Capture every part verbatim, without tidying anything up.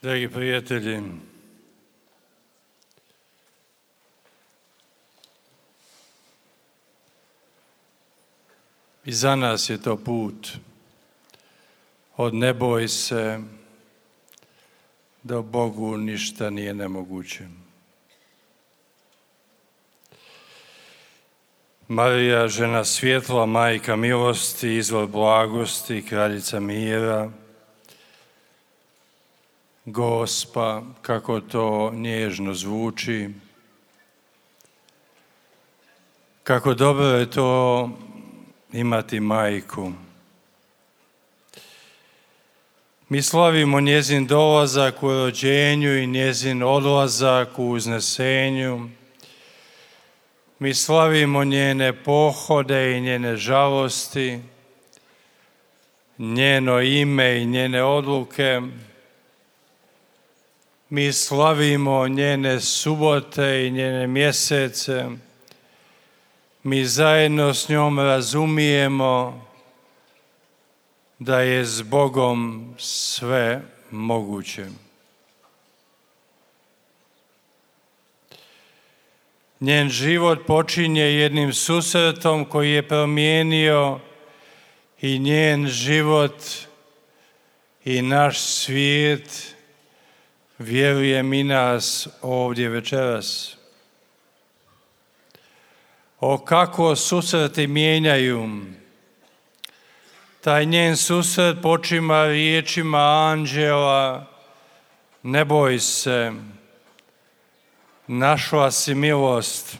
Dragi prijatelji, i za nas je to put od ne boj se do Bogu ništa nije nemoguće. Marija, žena svjetla, majka milosti, izvor blagosti, kraljica mira, Gospa, kako to nježno zvuči, kako dobro je to imati majku. Mi slavimo njezin dolazak u rođenju i njezin odlazak u uznesenju. Mi slavimo njene pohode i njene žalosti, njeno ime i njene odluke. Mi slavimo njene subote i njene mjesece. Mi zajedno s njom razumijemo da je s Bogom sve moguće. Njen život počinje jednim susretom koji je promijenio i njen život i naš svijet, vjerujem i nas ovdje večeras. O kako susreti mijenjaju. Taj njen susret počima riječima anđela: ne boj se, našla si milost.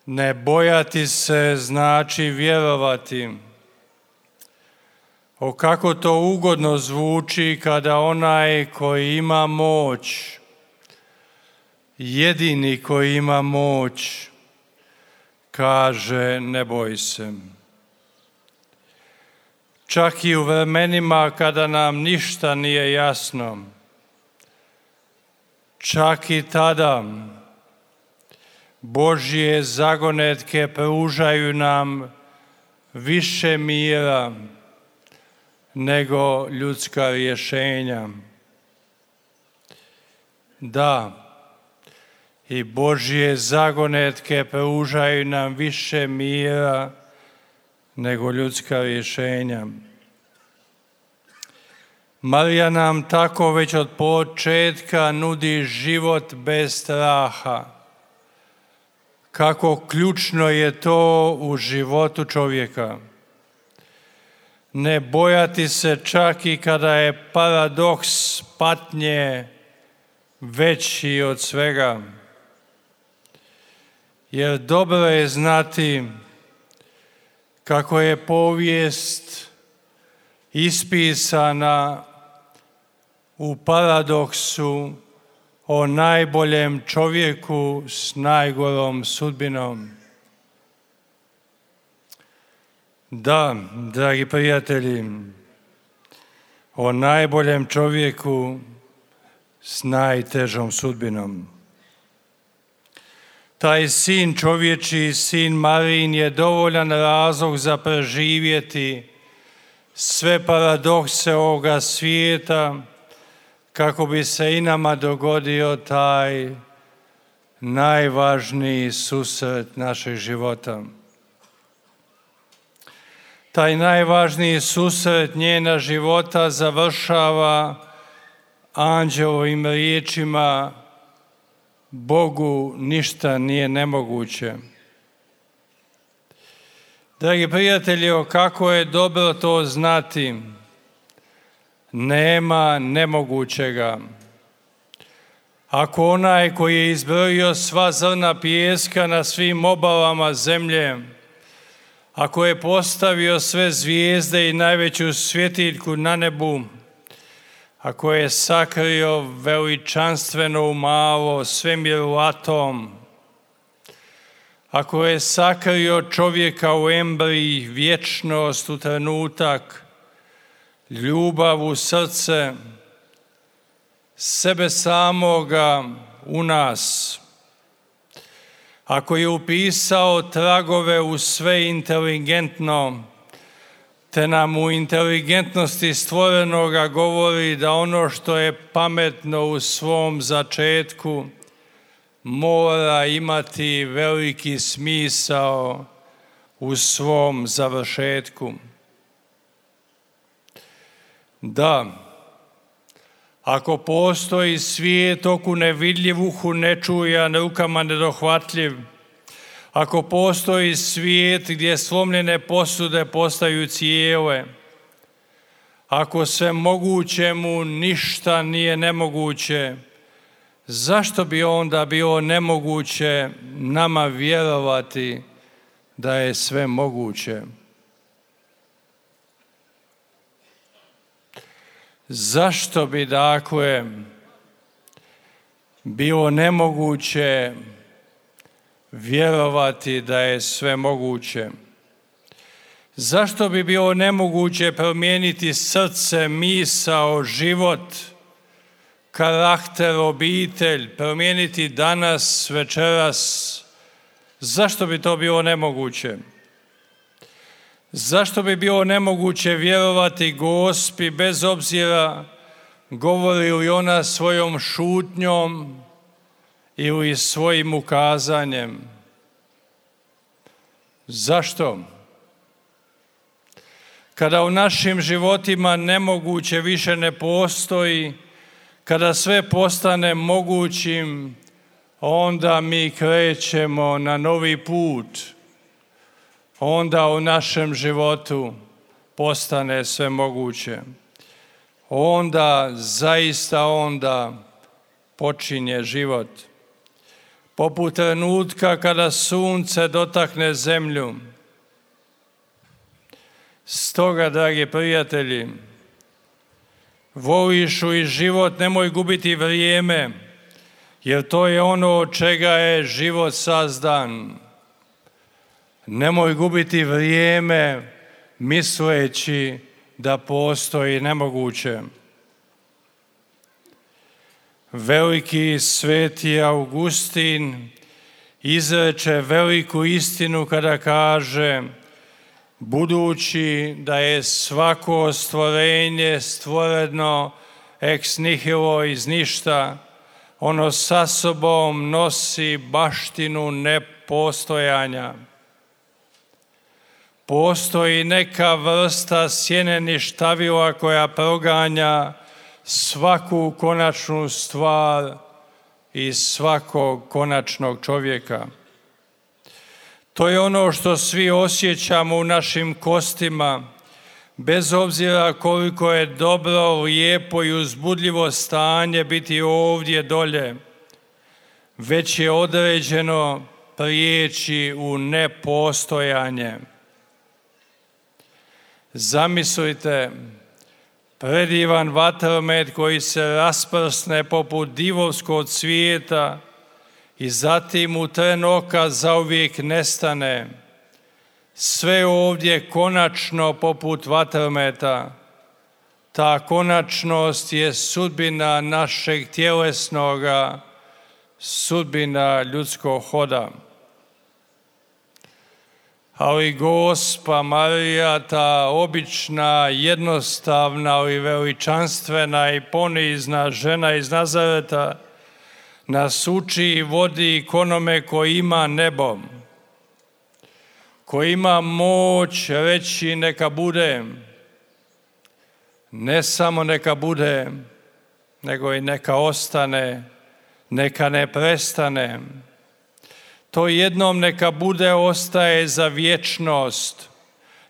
Ne bojati se znači vjerovati. O kako to ugodno zvuči kada onaj koji ima moć, jedini koji ima moć, kaže ne boj se. Čak i u vremenima kada nam ništa nije jasno, čak i tada Božje zagonetke pružaju nam više mira nego ljudska rješenja. Da, i Božje zagonetke pružaju nam više mira nego ljudska rješenja. Marija nam tako već od početka nudi život bez straha. Kako ključno je to u životu čovjeka. Ne bojati se čak i kada je paradoks patnje veći od svega. Jer dobro je znati kako je povijest ispisana u paradoksu o najboljem čovjeku s najgorom sudbinom. Da, dragi prijatelji, o najboljem čovjeku s najtežom sudbinom. Taj sin čovječiji, sin Marijin, je dovoljan razlog za preživjeti sve paradokse ovoga svijeta, kako bi se i nama dogodio taj najvažniji susret našeg života. Taj najvažniji susret njena života završava anđelovim riječima: Bogu ništa nije nemoguće. Dragi prijatelji, kako je dobro to znati. Nema nemogućega. Ako onaj koji je izbrojio sva zrna pijeska na svim obalama zemlje, ako je postavio sve zvijezde i najveću svjetiljku na nebu, ako je sakrio veličanstveno u malo svemiru atom, ako je sakrio čovjeka u embriji, vječnost u trenutak, ljubav u srce, sebe samoga u nas, ako je upisao tragove u sve inteligentno, te nam u inteligentnosti stvorenoga govori da ono što je pametno u svom začetku mora imati veliki smisao u svom završetku. Da, ako postoji svijet oku nevidljiv, uhu nečujan, rukama nedohvatljiv, ako postoji svijet gdje slomljene posude postaju cijele, ako sve mogućemu ništa nije nemoguće, zašto bi onda bilo nemoguće nama vjerovati da je sve moguće? Zašto bi dakle bilo nemoguće vjerovati da je sve moguće? Zašto bi bilo nemoguće promijeniti srce, misao, život, karakter, obitelj, promijeniti danas, večeras? Zašto bi to bilo nemoguće? Zašto bi bilo nemoguće vjerovati Gospi bez obzira govori li ona svojom šutnjom ili svojim ukazanjem? Zašto? Kada u našim životima nemoguće više ne postoji, kada sve postane mogućim, onda mi krećemo na novi put. Onda u našem životu postane sve moguće. Onda, zaista onda, počinje život. Poput trenutka kada sunce dotakne zemlju. Stoga, dragi prijatelji, voliš li život, nemoj gubiti vrijeme, jer to je ono od čega je život sazdan. Nemoj gubiti vrijeme misleći da postoji nemoguće. Veliki sveti Augustin izreče veliku istinu kada kaže: budući da je svako stvorenje stvoreno ex nihilo, iz ništa, ono sa sobom nosi baštinu nepostojanja. Postoji neka vrsta sjene-ništavila koja proganja svaku konačnu stvar i svakog konačnog čovjeka. To je ono što svi osjećamo u našim kostima, bez obzira koliko je dobro, lijepo i uzbudljivo stanje biti ovdje dolje, već je određeno prijeći u nepostojanje. Zamislite predivan vatromet koji se rasprsne poput divovskog cvijeta i zatim u tren oka zauvijek nestane. Sve ovdje konačno poput vatrometa. Ta konačnost je sudbina našeg tjelesnoga, sudbina ljudskog hoda. Ali Gospa Marija, ta obična, jednostavna, ali veličanstvena i ponizna žena iz Nazareta, nas uči i vodi k onome koji ima nebo, koji ima moć reći neka bude, ne samo neka bude, nego i neka ostane, neka ne prestane. To jednom neka bude ostaje za vječnost.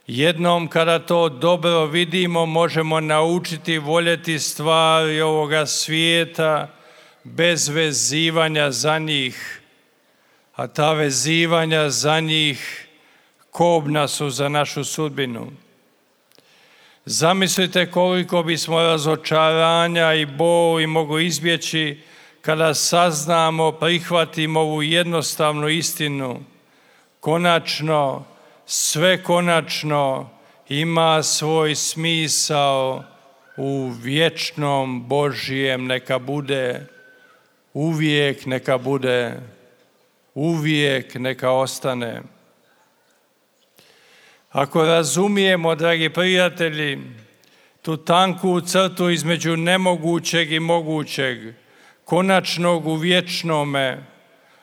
Jednom kada to dobro vidimo, možemo naučiti voljeti stvari ovoga svijeta bez vezivanja za njih. A ta vezivanja za njih kobna su za našu sudbinu. Zamislite koliko bismo razočaranja i boli mogli izbjeći kada saznamo, prihvatimo ovu jednostavnu istinu. Konačno, sve konačno ima svoj smisao u vječnom Božjem neka bude, uvijek neka bude, uvijek neka ostane. Ako razumijemo, dragi prijatelji, tu tanku crtu između nemogućeg i mogućeg, konačnog u vječnome,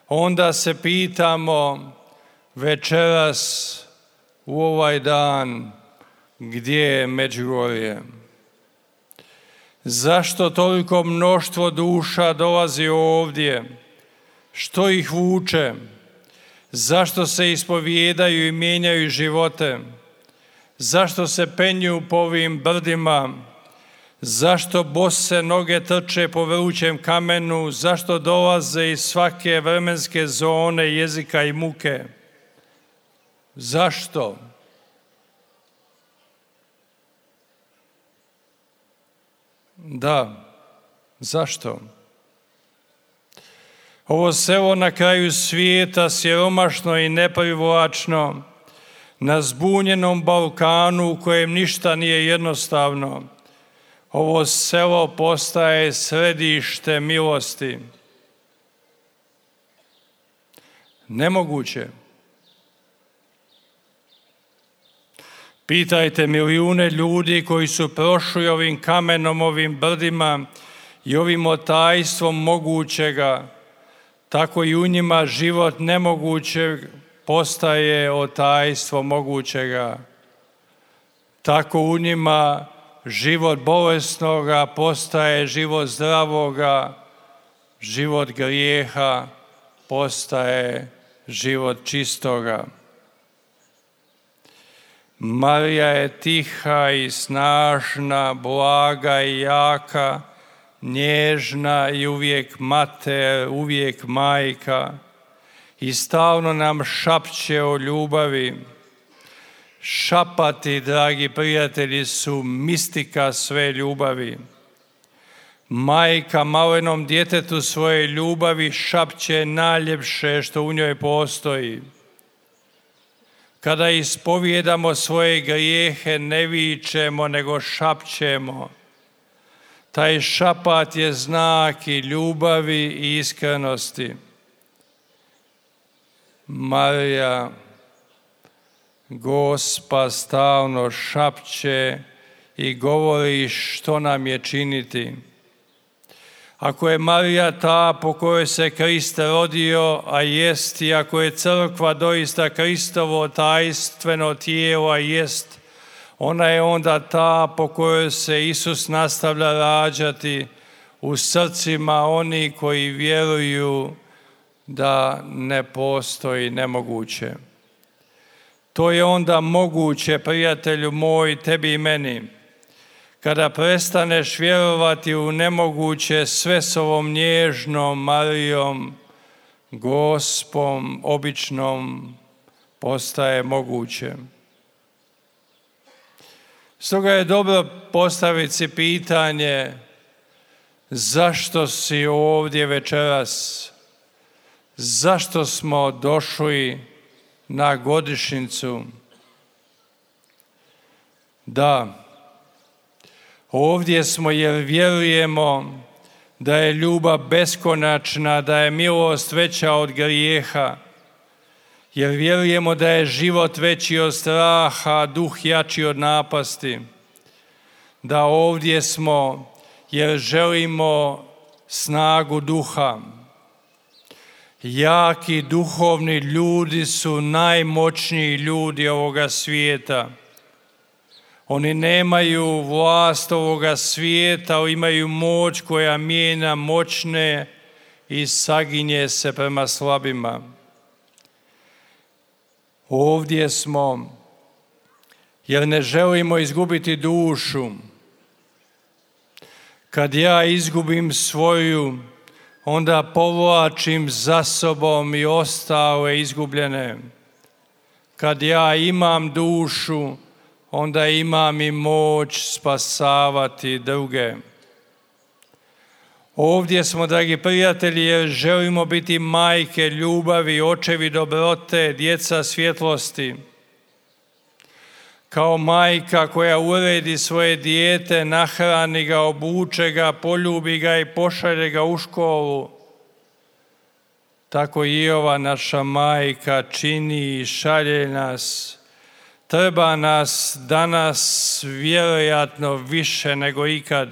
onda se pitamo večeras u ovaj dan gdje je Međugorje. Zašto toliko mnoštvo duša dolazi ovdje? Što ih vuče? Zašto se ispovijedaju i mijenjaju živote? Zašto se penju po ovim brdima? Zašto bose noge trče po vrućem kamenu? Zašto dolaze iz svake vremenske zone jezika i muke? Zašto? Da, zašto? Ovo selo na kraju svijeta, siromašno i neprivlačno, na zbunjenom Balkanu u kojem ništa nije jednostavno, ovo selo postaje središte milosti. Nemoguće. Pitajte milijune ljudi koji su prošli ovim kamenom, ovim brdima i ovim otajstvom mogućega. Tako i u njima život nemogućeg postaje otajstvo mogućega. Tako u njima život bolesnoga postaje život zdravoga, život grijeha postaje život čistoga. Marija je tiha i snažna, blaga i jaka, nježna i uvijek mater, uvijek majka i stalno nam šapće o ljubavi. Šapati, dragi prijatelji, su mistika sve ljubavi. Majka malenom djetetu svoje ljubavi šapće najljepše što u njoj postoji. Kada ispovijedamo svoje grijehe, ne vičemo, nego šapćemo. Taj šapat je znak i ljubavi i iskrenosti. Marija, Gospa, stalno šapće i govori što nam je činiti. Ako je Marija ta po kojoj se Krist rodio, a jest, i ako je crkva doista Kristovo tajstveno tijelo, a jest, ona je onda ta po kojoj se Isus nastavlja rađati u srcima oni koji vjeruju da ne postoji nemoguće. To je onda moguće, prijatelju moj, tebi i meni. Kada prestaneš vjerovati u nemoguće, sve s ovom nježnom Marijom, Gospom, običnom, postaje moguće. Stoga je dobro postaviti si pitanje zašto si ovdje večeras, zašto smo došli na godišnjicu. Da, ovdje smo jer vjerujemo da je ljubav beskonačna, da je milost veća od grijeha, jer vjerujemo da je život veći od straha, duh jači od napasti. Da ovdje smo jer želimo snagu duha. Jaki duhovni ljudi su najmoćniji ljudi ovoga svijeta. Oni nemaju vlast ovoga svijeta, imaju moć koja mijenja moćne i saginje se prema slabima. Ovdje smo jer ne želimo izgubiti dušu. Kad ja izgubim svoju, onda povlačim za sobom i ostale izgubljene. Kad ja imam dušu, onda imam i moć spasavati druge. Ovdje smo, dragi prijatelji, jer želimo biti majke ljubavi, očevi dobrote, djeca svjetlosti. Kao majka koja uredi svoje dijete, nahrani ga, obuče ga, poljubi ga i pošalje ga u školu, tako i ova naša majka čini i šalje nas Treba nas danas vjerojatno više nego ikad.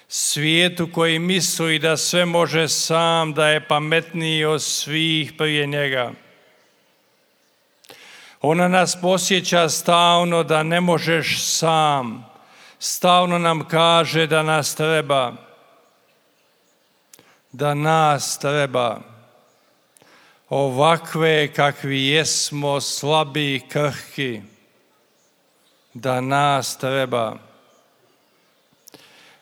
Svijetu koji misli da sve može sam, da je pametniji od svih prije njega. Ona nas podsjeća stalno da ne možeš sam. Stalno nam kaže da nas treba. Da nas treba. Ovakve kakvi jesmo, slabi i krhki. Da nas treba.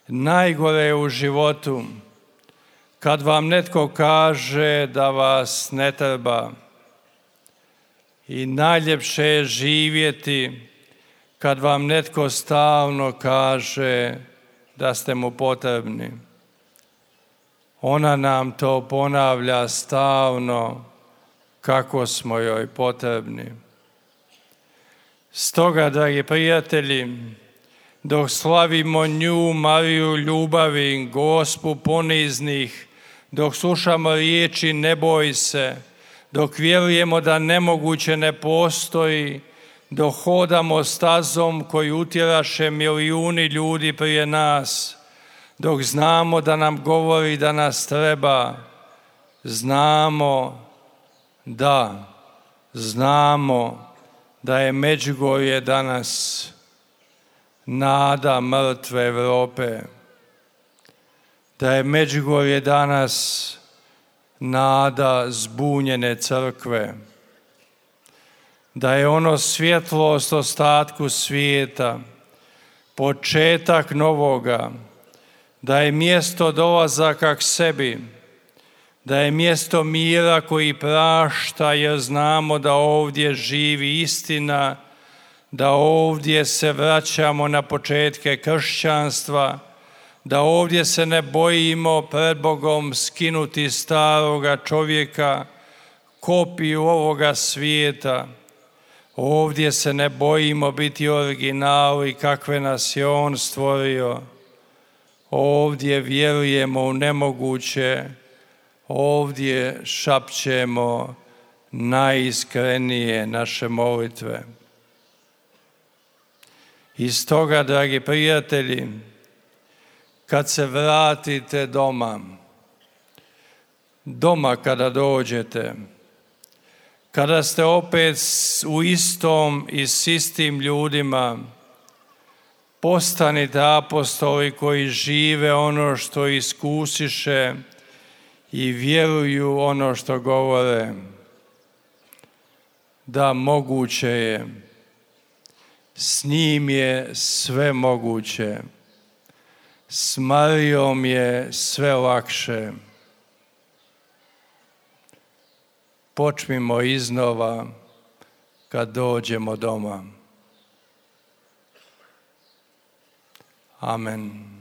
Najgore je u životu kad vam netko kaže da vas ne treba. I najljepše je živjeti kad vam netko stalno kaže da ste mu potrebni. Ona nam to ponavlja stalno kako smo joj potrebni. Stoga, dragi prijatelji, dok slavimo nju, Mariju ljubavi, Gospu poniznih, dok slušamo riječi ne boj se, dok vjerujemo da nemoguće ne postoji, dok hodamo stazom koju utjeraše milijuni ljudi prije nas, dok znamo da nam govori da nas treba, znamo da, znamo da je Međugorje danas nada mrtve Europe, da je Međugorje danas nada zbunjene crkve, da je ono svjetlost ostatku svijeta, početak novoga, da je mjesto dolazaka k sebi, da je mjesto mira koji prašta jer znamo da ovdje živi istina, da ovdje se vraćamo na početke kršćanstva, da ovdje se ne bojimo pred Bogom skinuti staroga čovjeka, kopiju ovoga svijeta. Ovdje se ne bojimo biti originali kakve nas je On stvorio. Ovdje vjerujemo u nemoguće, ovdje šapćemo najiskrenije naše molitve. I stoga, dragi prijatelji, kad se vratite doma, doma kada dođete, kada ste opet u istom i s istim ljudima, postanite apostoli koji žive ono što iskusiše i vjeruju ono što govore. Da, moguće je. S njim je sve moguće. S Marijom je sve lakše. Počnimo iznova kad dođemo doma. Amen.